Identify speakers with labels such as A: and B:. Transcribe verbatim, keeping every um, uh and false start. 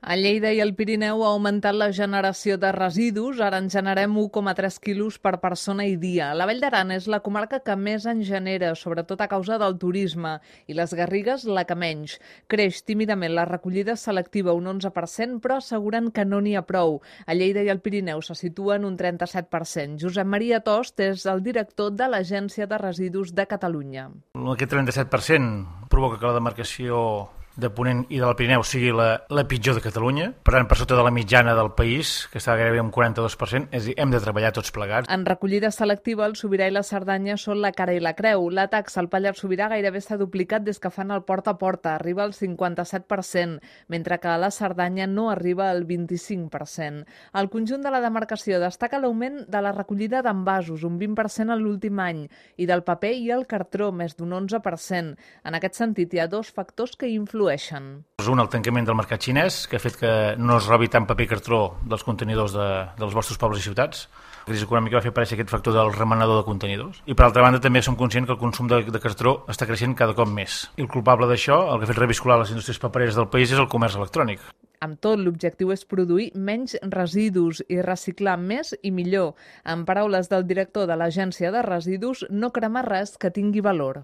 A: A Lleida i al Pirineu ha augmentat la generació de residus, ara en generem u coma tres quilos per persona i dia. La Vall d'Aran és la comarca que més en genera, sobretot a causa del turisme, i les Garrigues la que menys. Creix tímidament la recollida selectiva un onze per cent, però asseguren que no n'hi ha prou. A Lleida i al Pirineu se situa en un trenta-set per cent. Josep Maria Tost és el director de l'Agència de Residus de Catalunya.
B: Aquest trenta-set per cent provoca que la demarcació de Ponent i del Pirineu sigui la, la pitjor de Catalunya, per tant, per sota de la mitjana del país, que està gairebé un quaranta-dos per cent, és a dir, hem de treballar tots plegats.
A: En recollida selectiva, el Sobirà i la Cerdanya són la cara i la creu. La taxa al Pallars Sobirà gairebé s'ha duplicat des que fan el porta a porta, arriba al cinquanta-set per cent, mentre que a la Cerdanya no arriba al vint-i-cinc per cent. Al conjunt de la demarcació destaca l'augment de la recollida d'envasos, un vint per cent en l'últim any, i del paper i el cartró, més d'un onze per cent. En aquest sentit, hi ha dos factors que influeixen.
B: Un, el tancament del mercat xinès, que ha fet que no es robi tant paper i cartró dels contenidors de, dels vostres pobles i ciutats. La crisi econòmica va fer aparèixer aquest factor del remenador de contenidors. I per altra banda també som conscients que el consum de, de cartró està creixent cada cop més. I el culpable d'això, el que ha fet reviscular les indústries papereres del país, és el comerç electrònic.
A: Amb tot, l'objectiu és produir menys residus i reciclar més i millor. En paraules del director de l'Agència de Residus, no cremar res que tingui valor.